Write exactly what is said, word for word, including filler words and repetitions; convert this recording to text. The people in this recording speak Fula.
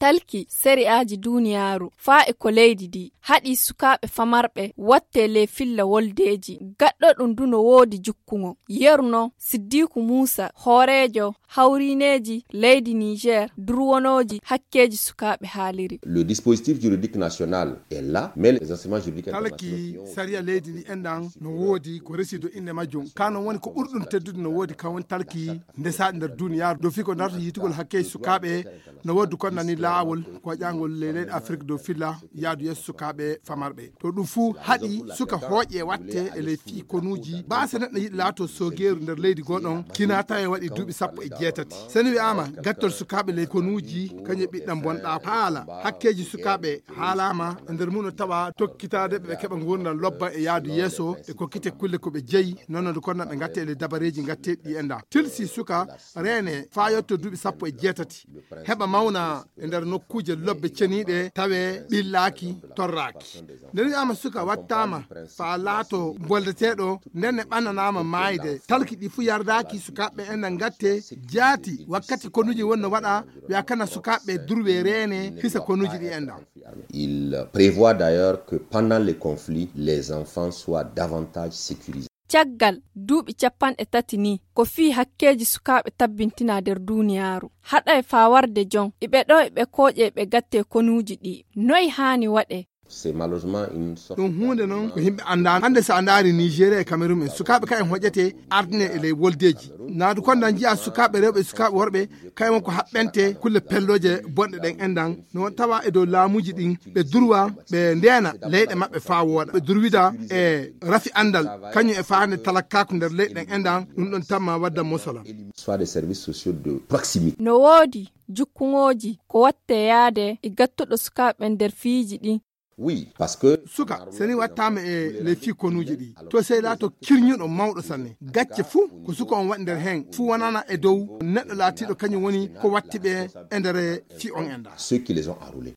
Talki sari'aaji duniyaaru faa e ko leydi ndi haɗi sukaaɓe famarɓe wattee ley filla woldeeji. Gaɗɗo ɗum du no woodi jukkungo. Yeru noon Siddiiku Muusa, hooreejo hawriineeji leydi Niger durwonooji hakkeeji sukaaɓe haaliri. Le dispositif juridique national est là, mais les instruments juridiques internationaux qui ont... Sariya leydi ndi enɗan no woodi ko resi dow innde majjum. Kaa noon woni ko ɓurɗum teddude no woodi kaa woni talki ndesaaɗi nder duniyaaru. Dow fii ko darta yiitugol hakkeeji sukaaɓe no woodi ko nani laawol ko waƴaangol ley leyɗe Afrik dow filla yaadu yeeso sukaaɓe famarɓe. To ɗum fuu haɗi suka hooƴe watte e ley fii konuuji. Baasa neɗɗo yiɗi laato soogeeru nder leydi goo ɗon, kinaa tawa e waɗi duuɓi sappo e jeetati. Seni wi'aama gattol sukaaɓe ley konuuji, kañum e ɓiɗɗam bonɗaa. Haala hakkeeji sukaaɓe haalaama e nder mum no tawa tokkitaade ɓe keɓa nguurndam lobba e yaadu yeeso e kokkite kulle ko ɓe jeyi, noon no konno ɓe ngatte e ley dabareeji ngatteeɗi ɗi enɗan. Tilsi suka reene faa yotto duuɓi sappo e jeetati. Heɓa mawna e nder nokkuuje lobbe ceniiɗe, tawee ɓillaaki, torraaki. Nde wi'aama suka wattaama faa laato boldeteeɗo, nden ne ɓannanaama maayde. Talki ɗi fuu yardaaki sukaaɓe enɗan ngatte, jaati wakkati konuuji wonno waɗa, wi'a kana sukaaɓe durwee reene hisa konuuji ɗi enɗan. Il prévoit d'ailleurs que pendant les conflits, les enfants soient davantage sécurisés. Caggal duuɓi capanɗe tati nii, ko fii hakkeeji sukaaɓe tabbintinaa nder duniyaaru. Haɗay faa warde jon, iɓe ɗoo iɓe kooƴee ɓe gattee konuuji ɗi. Noy haani waɗee? C'est malheureusement une sorte... Ɗum huunde noon ko yimɓe anndaano. Hannde so a ndaari Nigeria e Cameroun en, sukaaɓe kayen hoƴetee ardine e ley woldeeji. Naadu kondan njiya sukaaɓe rewɓe e sukaaɓe worɓe, kayen won ko haɓɓente kulle pellooje bonɗe ɗen enɗan. No tawa e dow laamuuji ɗin, ɓe durwa, ɓe ndeena leyɗe maɓɓe faa wooɗa. Ɓe durwida e rafi anndal, kañum e faande talakkaaku nder leyɗe ɗen enɗan, ɗum ɗon tamma wadda mosolan. Soit des services sociaux de proximité. No woodi jukkuŋooji ko wattee yaade e gattuɗo sukaaɓe nder fiiji ɗin. Oui, parce que suka, seni wattaama e ley fii konuuji ɗi, to sey laato kirñuɗo mawɗo sanne. Gacce fuu ko suka on waɗi nder heen, fuu wonana e dow neɗɗo laatiiɗo kañum woni ko watti ɓe e nder fii on enɗan. Ceux qui les ont enrôlés.